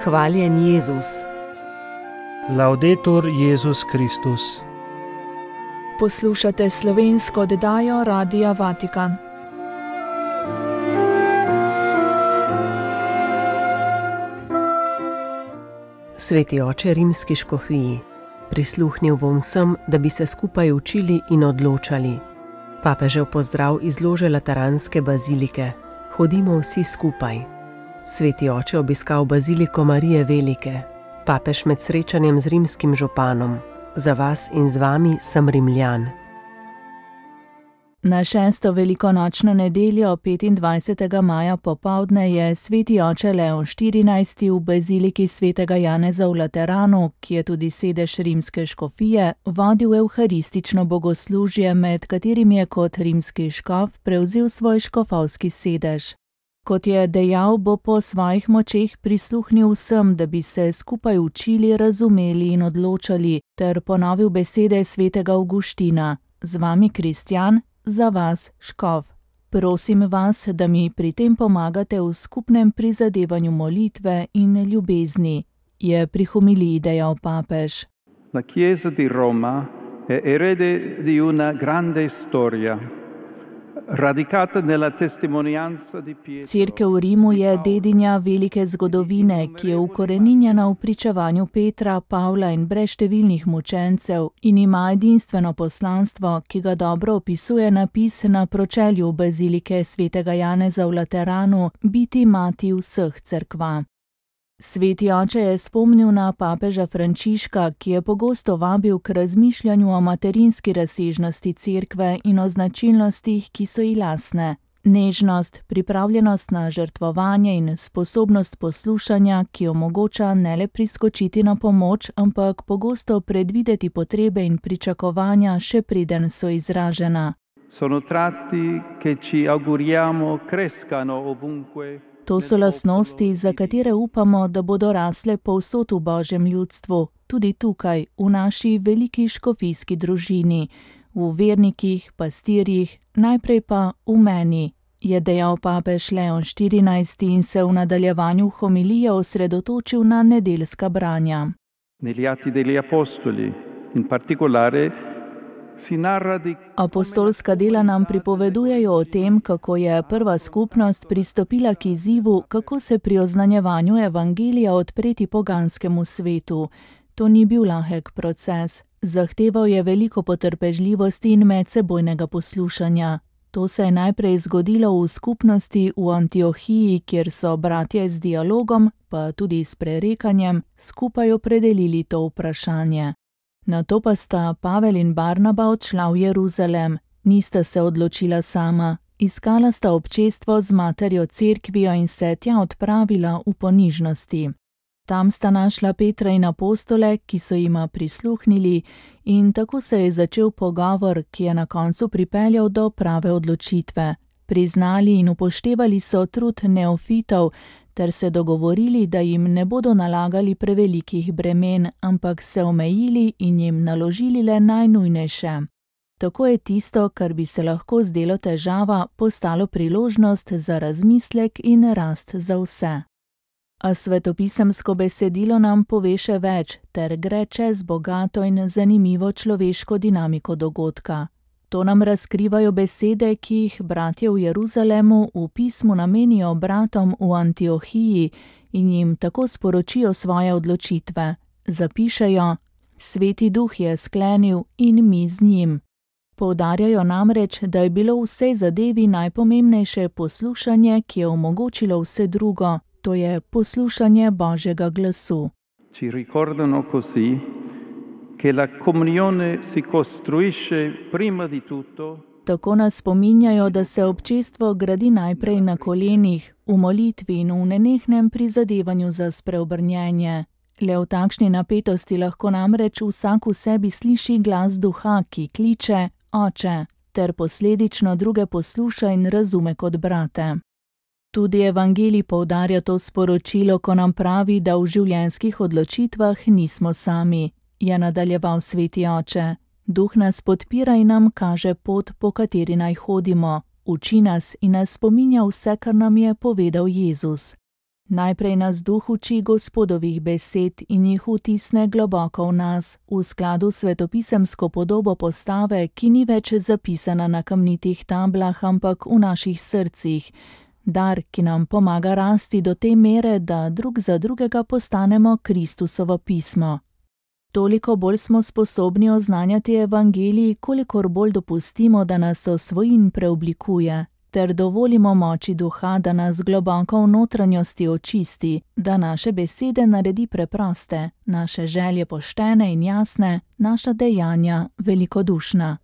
Hvaljen Jezus. Laudetur Jezus Kristus. Poslušate slovensko oddajo Radia Vatikan. Sveti oče rimski škofiji, prisluhnil bom vsem, da bi se skupaj učili in odločali. Papežev pozdrav iz lože Lateranske bazilike. Hodimo vsi skupaj. Sveti oče obiskal baziliko Marije Velike. Papež med srečanjem z rimskim županom. Za vas in z vami sem Rimljan. Na 6. velikonočno nedeljo 25. maja popoldne je sveti oče Leon XIV v baziliki svetega Janeza v Lateranu, ki je tudi sedež rimske škofije, vodil evharistično bogoslužje, med katerim je kot rimski škof prevzel svoj škofovski sedež. Kot je dejal, bo po svojih močeh prisluhnil vsem, da bi se skupaj učili, razumeli in odločali, ter ponovil besede svetega Avguština: z vami kristjan, za vas škof. Prosim vas, da mi pri tem pomagate v skupnem prizadevanju molitve in ljubezni, je pri homiliji dejal papež. La Chiesa di Roma è erede di una grande storia. Radicata nella testimonianza di Pietro. Cerkev v Rimu je dedinja velike zgodovine, ki je ukoreninjena v pričevanju Petra, Pavla in brezštevilnih mučencev in ima edinstveno poslanstvo, ki ga dobro opisuje napis na pročelju bazilike svetega Janeza v Lateranu: biti mati vseh cerkva. Sveti oče je spomnil na papeža Frančiška, ki je pogosto vabil k razmišljanju o materinski razsežnosti cerkve in o značilnostih, ki so ji lastne. Nežnost, pripravljenost na žrtvovanje in sposobnost poslušanja, ki omogoča ne le priskočiti na pomoč, ampak pogosto predvideti potrebe in pričakovanja, še preden so izražena. Sono tratti che ci auguriamo crescano ovunque. To so lastnosti, za katere upamo, da bodo rasle povsod v Božjem ljudstvu, tudi tukaj, v naši veliki škofijski družini, v vernikih, pastirjih, najprej pa v meni, je dejal papež Leon XIV in se v nadaljevanju homilije osredotočil na nedeljska branja. Negli Atti degli Apostoli, in particolare, Apostolska dela nam pripovedujejo o tem, kako je prva skupnost pristopila k izzivu, kako se pri oznanjevanju evangelija odpreti poganskemu svetu. To ni bil lahek proces, zahteval je veliko potrpežljivosti in medsebojnega poslušanja. To se je najprej zgodilo v skupnosti v Antiohiji, kjer so bratje z dialogom, pa tudi s prerekanjem, skupaj opredelili to vprašanje. Nato pa sta Pavel in Barnaba odšla v Jeruzalem. Nista se odločila sama, iskala sta občestvo z materjo cerkvijo in se tja odpravila v ponižnosti. Tam sta našla Petra in apostole, ki so jima prisluhnili, in tako se je začel pogovor, ki je na koncu pripeljal do prave odločitve. Priznali in upoštevali so trud neofitov, ter se dogovorili, da jim ne bodo nalagali prevelikih bremen, ampak se omejili in jim naložili le najnujnejše. Tako je tisto, kar bi se lahko zdelo težava, postalo priložnost za razmislek in rast za vse. A svetopisemsko besedilo nam pove še več, ter gre čez bogato in zanimivo človeško dinamiko dogodka. To nam razkrivajo besede, ki jih bratje v Jeruzalemu v pismu namenijo bratom v Antiohiji in jim tako sporočijo svoje odločitve. Zapišejo: Sveti Duh je sklenil in mi z njim. Poudarjajo namreč, da je bilo v vsej zadevi najpomembnejše poslušanje, ki je omogočilo vse drugo, to je poslušanje Božjega glasu. Ci ricordano così che la comunione si costruisce prima di tutto. Tako nas spominjajo, da se občestvo gradi najprej na kolenih, v molitvi in v nenehnem prizadevanju za spreobrnjenje. Le v takšni napetosti lahko namreč vsak v sebi sliši glas duha, ki kliče: Oče, ter posledično druge posluša in razume kot brate. Tudi evangelij poudarja to sporočilo, ko nam pravi, da v življenjskih odločitvah nismo sami, je nadaljeval sveti oče. Duh nas podpira in nam kaže pot, po kateri naj hodimo, uči nas in nas spominja vse, kar nam je povedal Jezus. Najprej nas Duh uči Gospodovih besed in jih vtisne globoko v nas, v skladu s svetopisemsko podobo postave, ki ni več zapisana na kamnitih tablah, ampak v naših srcih. Dar, ki nam pomaga rasti do te mere, da drug za drugega postanemo Kristusovo pismo. Toliko bolj smo sposobni oznanjati evangelij, kolikor bolj dopustimo, da nas osvoji in preoblikuje, ter dovolimo moči Duha, da nas globoko v notranjosti očisti, da naše besede naredi preproste, naše želje poštene in jasne, naša dejanja velikodušna.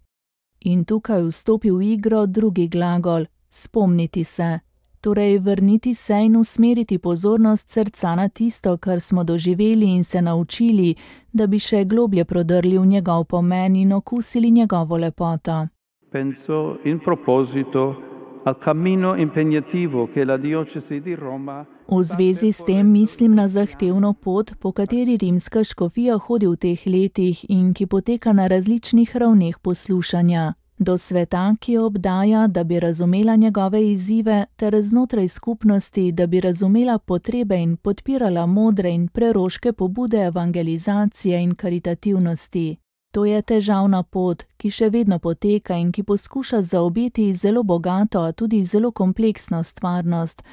In tukaj vstopi v igro drugi glagol, spomniti se. Torej vrniti se in usmeriti pozornost srca na tisto, kar smo doživeli in se naučili, da bi še globlje prodrli v njegov pomen in okusili njegovo lepoto. Penso in proposito al cammino impegnativo che la diocesi di Roma. V zvezi s tem mislim na zahtevno pot, po kateri rimska škofija hodi v teh letih in ki poteka na različnih ravneh poslušanja. Do sveta, ki jo obdaja, da bi razumela njegove izzive, ter znotraj skupnosti, da bi razumela potrebe in podpirala modre in preroške pobude evangelizacije in karitativnosti. To je težavna pot, ki še vedno poteka in ki poskuša zaobjeti zelo bogato, a tudi zelo kompleksno stvarnost,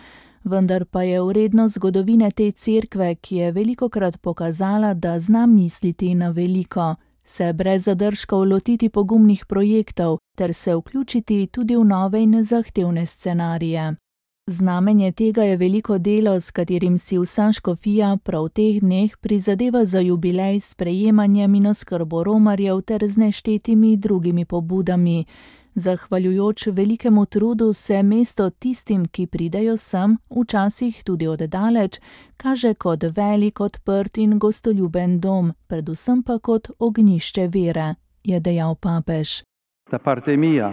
vendar pa je vredno zgodovine te cerkve, ki je velikokrat pokazala, da zna misliti na veliko, se brez zadržkov lotiti pogumnih projektov ter se vključiti tudi v nove in zahtevne scenarije. Znamenje tega je veliko delo, s katerim si vsa škofija prav v teh dneh prizadeva za jubilej s sprejemanjem in oskrbo romarjev ter z neštetimi drugimi pobudami. Zahvaljujoč velikemu trudu se mesto tistim, ki pridejo sem, včasih tudi od daleč, kaže kot velik, odprt in gostoljuben dom, predvsem pa kot ognjišče vere, je dejal papež. Da parte mia,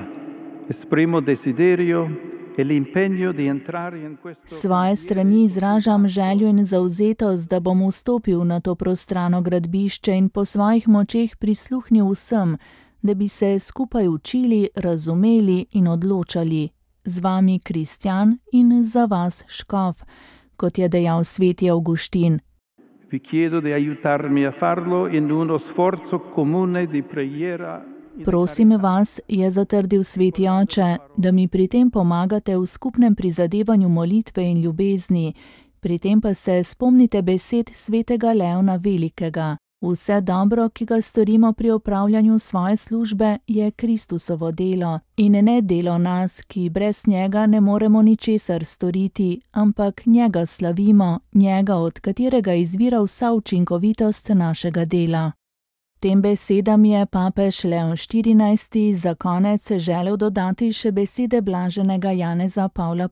esprimo desiderio e l'impegno di entrare in questo. Svoje strani izražam željo in zavzetost, da bom vstopil na to prostrano gradbišče in po svojih močeh prisluhnil vsem, da bi se skupaj učili, razumeli in odločali. Z vami kristjan in za vas škof, kot je dejal sveti Avguštin. Vi chiedo di aiutarmi a farlo in uno sforzo comune di preghiera. Prosim vas, je zatrdil sveti oče, da mi pri tem pomagate v skupnem prizadevanju molitve in ljubezni, pri tem pa se spomnite besed svetega Leona Velikega. Vse dobro, ki ga storimo pri opravljanju svoje službe, je Kristusovo delo in ne delo nas, ki brez njega ne moremo ničesar storiti, ampak njega slavimo, njega, od katerega izvira vsa učinkovitost našega dela. Tem besedam je papež Leon XIV. Za konec želel dodati še besede blaženega Janeza Pavla I.,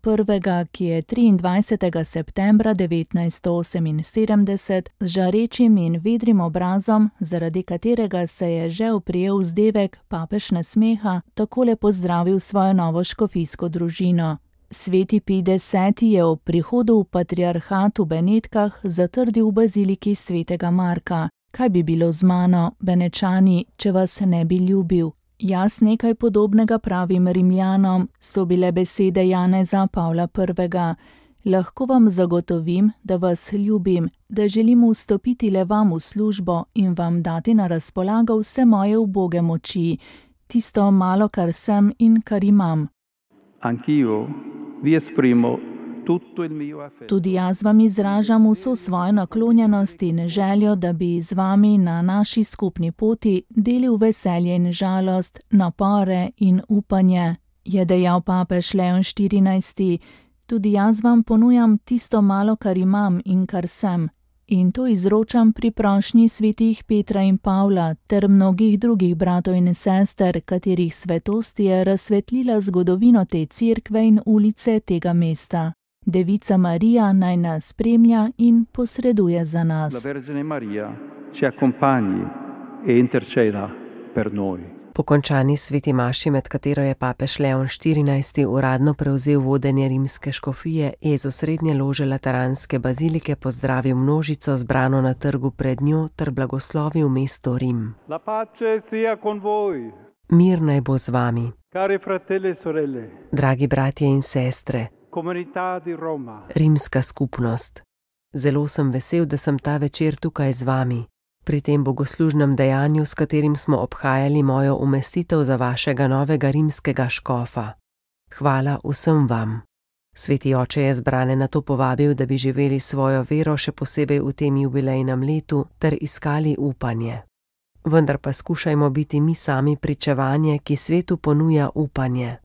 ki je 23. septembra 1978 z žarečim in vedrim obrazom, zaradi katerega se je že oprijel vzdevek papež nasmeha, takole pozdravil svojo novo škofijsko družino. Sveti Pij X. je ob prihodu v patriarhat v Benetkah zatrdil v baziliki svetega Marka. Kaj bi bilo z mano, Benečani, če vas ne bi ljubil? Jaz nekaj podobnega pravim Rimljanom, so bile besede Janeza Pavla I. Lahko vam zagotovim, da vas ljubim, da želim vstopiti le vam v službo in vam dati na razpolago vse moje uboge moči, tisto malo, kar sem in kar imam. Anch'io vi esprimo tutto il mio affetto. Tudi jaz vam izražam vso svojo naklonjenost in željo, da bi z vami na naši skupni poti delil veselje in žalost, napore in upanje, je dejal papež Leon XIV. Tudi jaz vam ponujam tisto malo, kar imam in kar sem. In to izročam pri prošnji svetih Petra in Pavla ter mnogih drugih bratov in sester, katerih svetost je razsvetlila zgodovino te cerkve in ulice tega mesta. Devica Marija naj nas spremlja in posreduje za nas. La Vergine Maria ci accompagni e interceda per noi. Po končani sveti maši, med katero je papež Leon XIV. Uradno prevzel vodenje rimske škofije, je z osrednje lože lateranske bazilike pozdravil množico zbrano na trgu pred njo ter blagoslovil mesto Rim. La pace sia con voi. Mir naj bo z vami. Cari fratelli e sorelle. Dragi bratje in sestre, Comunità di Roma. Rimska skupnost. Zelo sem vesel, da sem ta večer tukaj z vami, pri tem bogoslužnem dejanju, s katerim smo obhajali mojo umestitev za vašega novega rimskega škofa. Hvala vsem vam. Sveti oče je zbrane na to povabil, da bi živeli svojo vero še posebej v tem jubilejnem letu ter iskali upanje. Vendar pa skušajmo biti mi sami pričevanje, ki svetu ponuja upanje.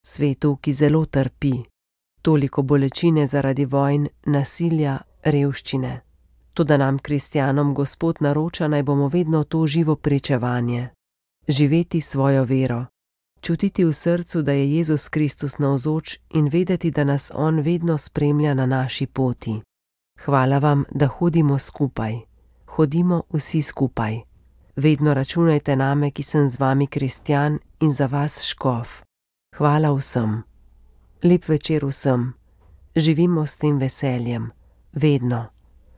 Svetu, ki zelo trpi. Toliko bolečine zaradi vojn, nasilja, revščine. Toda nam, kristjanom, Gospod naroča, naj bomo vedno to živo pričevanje. Živeti svojo vero. Čutiti v srcu, da je Jezus Kristus navzoč in vedeti, da nas On vedno spremlja na naši poti. Hvala vam, da hodimo skupaj. Hodimo vsi skupaj. Vedno računajte name, ki sem z vami kristjan in za vas škof. Hvala vsem. Lep večer vsem. Živimo s tem veseljem. Vedno.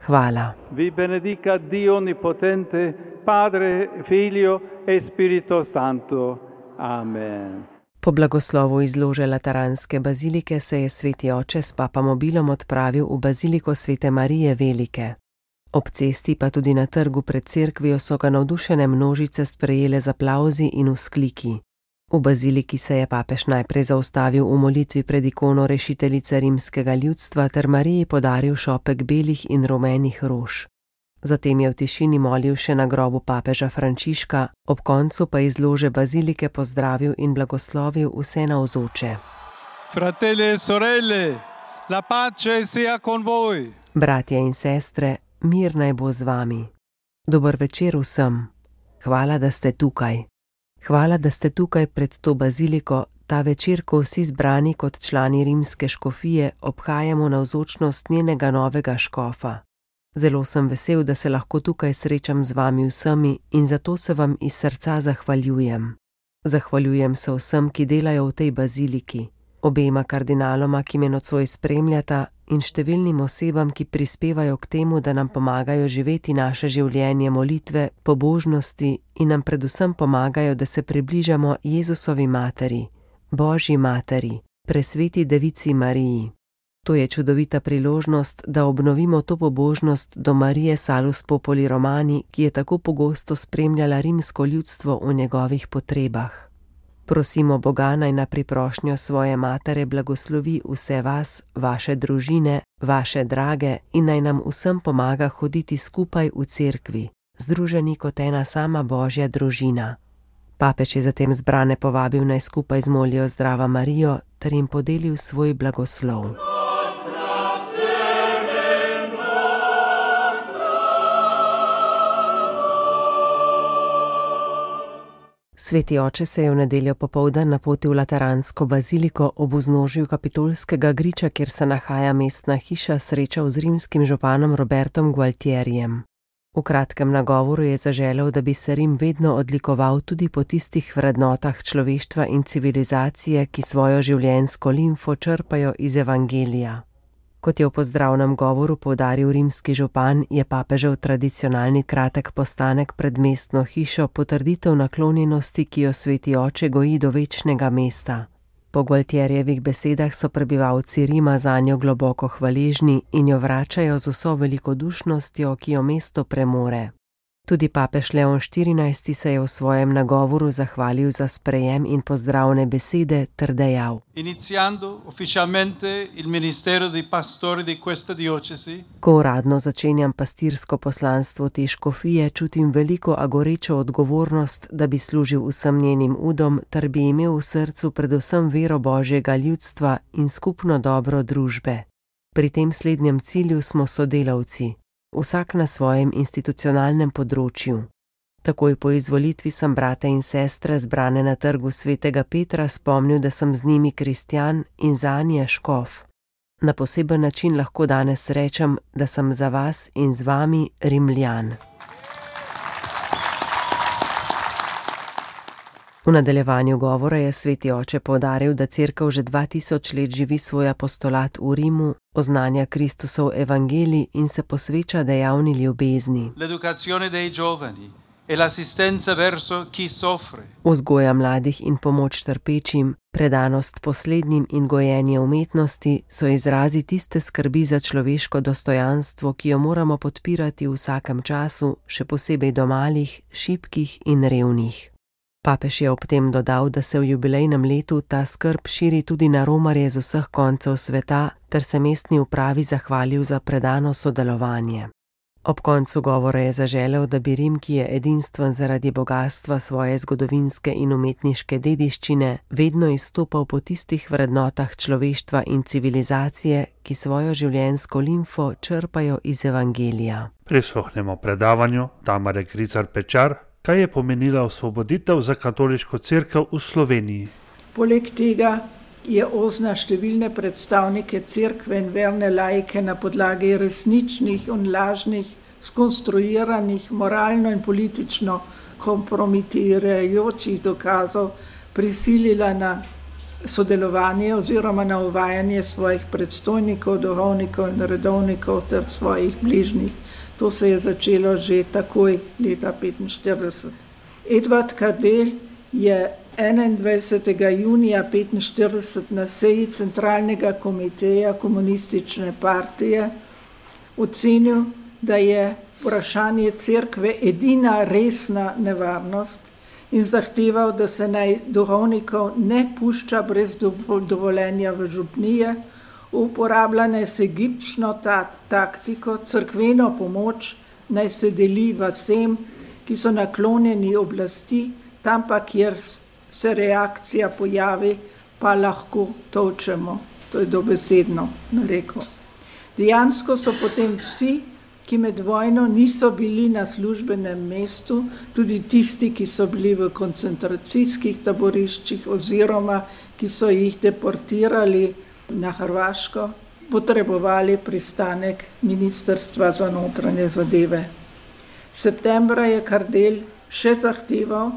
Hvala. Vi benedica Dio Onnipotente, Padre, Figlio e Spirito Santo. Amen. Po blagoslovu iz lože Lateranske bazilike se je sveti oče s papamobilom odpravil v baziliko Svete Marije Velike. Ob cesti pa tudi na trgu pred cerkvijo so ga navdušene množice sprejele z aplavzi in vzkliki. V baziliki se je papež najprej zaustavil v molitvi pred ikono rešiteljice rimskega ljudstva ter Mariji podaril šopek belih in rumenih rož. Zatem je v tišini molil še na grobu papeža Frančiška, ob koncu pa iz lože bazilike pozdravil in blagoslovil vse navzoče. Fratelli e sorelle, la pace sia con voi. Bratje in sestre, mir naj bo z vami. Dober večer vsem. Hvala, da ste tukaj. Hvala, da ste tukaj pred to baziliko, ta večer, ko vsi zbrani kot člani rimske škofije obhajamo navzočnost njenega novega škofa. Zelo sem vesel, da se lahko tukaj srečam z vami vsemi in zato se vam iz srca zahvaljujem. Zahvaljujem se vsem, ki delajo v tej baziliki, obema kardinaloma, ki me nocoj spremljata, in številnim osebam, ki prispevajo k temu, da nam pomagajo živeti naše življenje molitve, pobožnosti in nam predvsem pomagajo, da se približamo Jezusovi materi, Božji materi, presveti devici Mariji. To je čudovita priložnost, da obnovimo to pobožnost do Marije Salus Populi Romani, ki je tako pogosto spremljala rimsko ljudstvo v njegovih potrebah. Prosimo Boga, naj na priprošnjo svoje matere blagoslovi vse vas, vaše družine, vaše drage in naj nam vsem pomaga hoditi skupaj v cerkvi, združeni kot ena sama Božja družina. Papež je zatem zbrane povabil, naj skupaj zmolijo Zdrava Marijo ter jim podelil svoj blagoslov. Sveti oče se je v nedeljo popoldan napotil v Lateransko baziliko ob vznožju Kapitolskega griča, kjer se nahaja mestna hiša, srečal z rimskim županom Robertom Gualtierijem. V kratkem nagovoru je zaželel, da bi se Rim vedno odlikoval tudi po tistih vrednotah človeštva in civilizacije, ki svojo življenjsko limfo črpajo iz Evangelija. Kot je v pozdravnem govoru poudaril rimski župan, je papežev tradicionalni kratek postanek pred mestno hišo potrditev naklonjenosti, ki jo sveti oče goji do večnega mesta. Po Gualtierjevih besedah so prebivalci Rima zanjo globoko hvaležni in jo vračajo z vso velikodušnostjo, ki jo mesto premore. Tudi papež Leon XIV se je v svojem nagovoru zahvalil za sprejem in pozdravne besede ter dejal: Iniziando ufficialmente il ministero di pastore di questa diocesi. Ko uradno začenjam pastirsko poslanstvo te škofije, čutim veliko a gorečo odgovornost, da bi služil vsem njenim udom ter bi imel v srcu predvsem vero Božjega ljudstva in skupno dobro družbe. Pri tem slednjem cilju smo sodelavci. Vsak na svojem institucionalnem področju. Takoj po izvolitvi sem brate in sestre zbrane na trgu Svetega Petra spomnil, da sem z njimi kristjan in zanje škof. Na poseben način lahko danes rečem, da sem za vas in z vami Rimljan. V nadaljevanju govora je sveti oče poudaril, da cerkev že 2000 let živi svoj apostolat v Rimu, oznanja Kristusov evangelij in se posveča dejavni ljubezni. L'educazione dei giovani, e l'assistenza verso chi soffre. Vzgoja mladih in pomoč trpečim, predanost poslednjim in gojenje umetnosti so izrazi tiste skrbi za človeško dostojanstvo, ki jo moramo podpirati v vsakem času, še posebej do malih, šibkih in revnih. Papež je ob tem dodal, da se v jubilejnem letu ta skrb širi tudi na romarje z vseh koncev sveta, ter se mestni upravi zahvalil za predano sodelovanje. Ob koncu govora je zaželel, da bi Rim, ki je edinstven zaradi bogastva svoje zgodovinske in umetniške dediščine, vedno izstopal po tistih vrednotah človeštva in civilizacije, ki svojo življenjsko limfo črpajo iz Evangelija. Prisluhnemo predavanju Tamare Kricar Pečar, kaj je pomenila osvoboditev za katoliško cerkev v Sloveniji. Poleg tega je ozna številne predstavnike cerkve in verne laike na podlagi resničnih in lažnih, skonstruiranih, moralno in politično kompromitirajočih dokazov prisilila na sodelovanje oziroma na uvajanje svojih predstojnikov, duhovnikov in redovnikov ter svojih bližnjih. To se je začelo že takoj leta 1945. Edvard Kardelj je 21. junija 1945 na seji Centralnega komiteja komunistične partije ocenil, da je vprašanje cerkve edina resna nevarnost in zahteval, da se naj duhovnikov ne pušča brez dovoljenja v župnije, uporabljane se gibčno taktiko, cerkveno pomoč naj se deli vsem, ki so naklonjeni oblasti, tam pa, kjer se reakcija pojavi, pa lahko tolčemo. To je dobesedno narekel. Dejansko so potem vsi, ki med vojno niso bili na službenem mestu, tudi tisti, ki so bili v koncentracijskih taboriščih oziroma ki so jih deportirali na Hrvaško, potrebovali pristanek Ministrstva za notranje zadeve. Septembra je Kardelj še zahteval,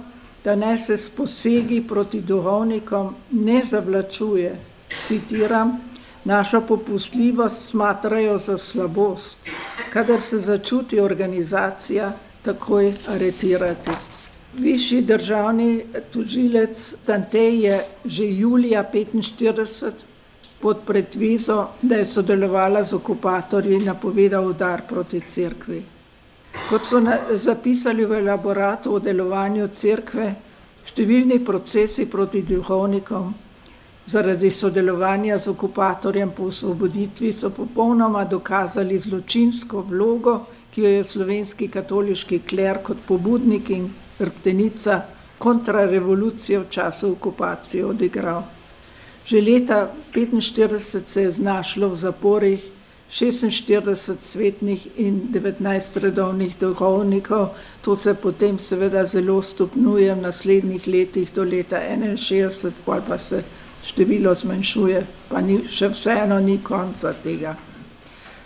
da naj se s posegi proti duhovnikom ne zavlačuje, citiram, našo popustljivost smatrajo za slabost, kadar se začuti organizacija, takoj aretirati. Višji državni tožilec Stantej je že julija 1945 pod pretvezo, da je sodelovala z okupatorji, napovedal udar proti cerkvi. Kot so zapisali v elaboratu o delovanju cerkve, številni procesi proti duhovnikom zaradi sodelovanja z okupatorjem po osvoboditvi so popolnoma dokazali zločinsko vlogo, ki jo je slovenski katoliški kler kot pobudnik in hrbtenica kontrarevolucije v času okupacije odigral. Že leta 1945 se je znašlo v zaporih 46 svetnih in 19 redovnih duhovnikov, to se potem seveda zelo stopnjuje v naslednjih letih do leta 1961, pa se število zmanjšuje, pa še vseeno ni konca tega.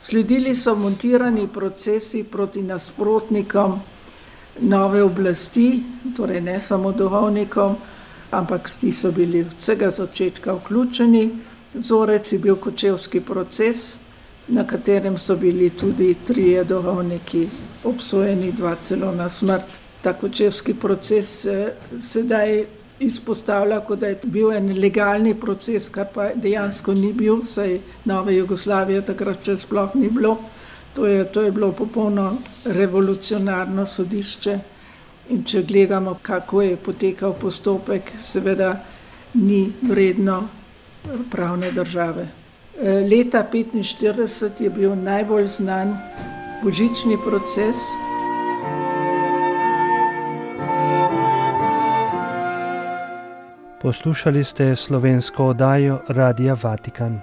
Sledili so montirani procesi proti nasprotnikom nove oblasti, torej ne samo duhovnikom, ampak ti so bili od vsega začetka vključeni. Vzorec je bil kočevski proces, na katerem so bili tudi 3 duhovniki obsojeni, 2 celo na smrt. Ta kočevski proces se sedaj izpostavlja, kot da je bil en legalni proces, kar pa dejansko ni bil, saj nove Jugoslavije takrat še sploh ni bilo. To je bilo popolno revolucionarno sodišče in če gledamo, kako je potekal postopek, seveda ni vredno pravne države. Leta 1945 je bil najbolj znan božični proces. Poslušali ste slovensko oddajo Radia Vatikan.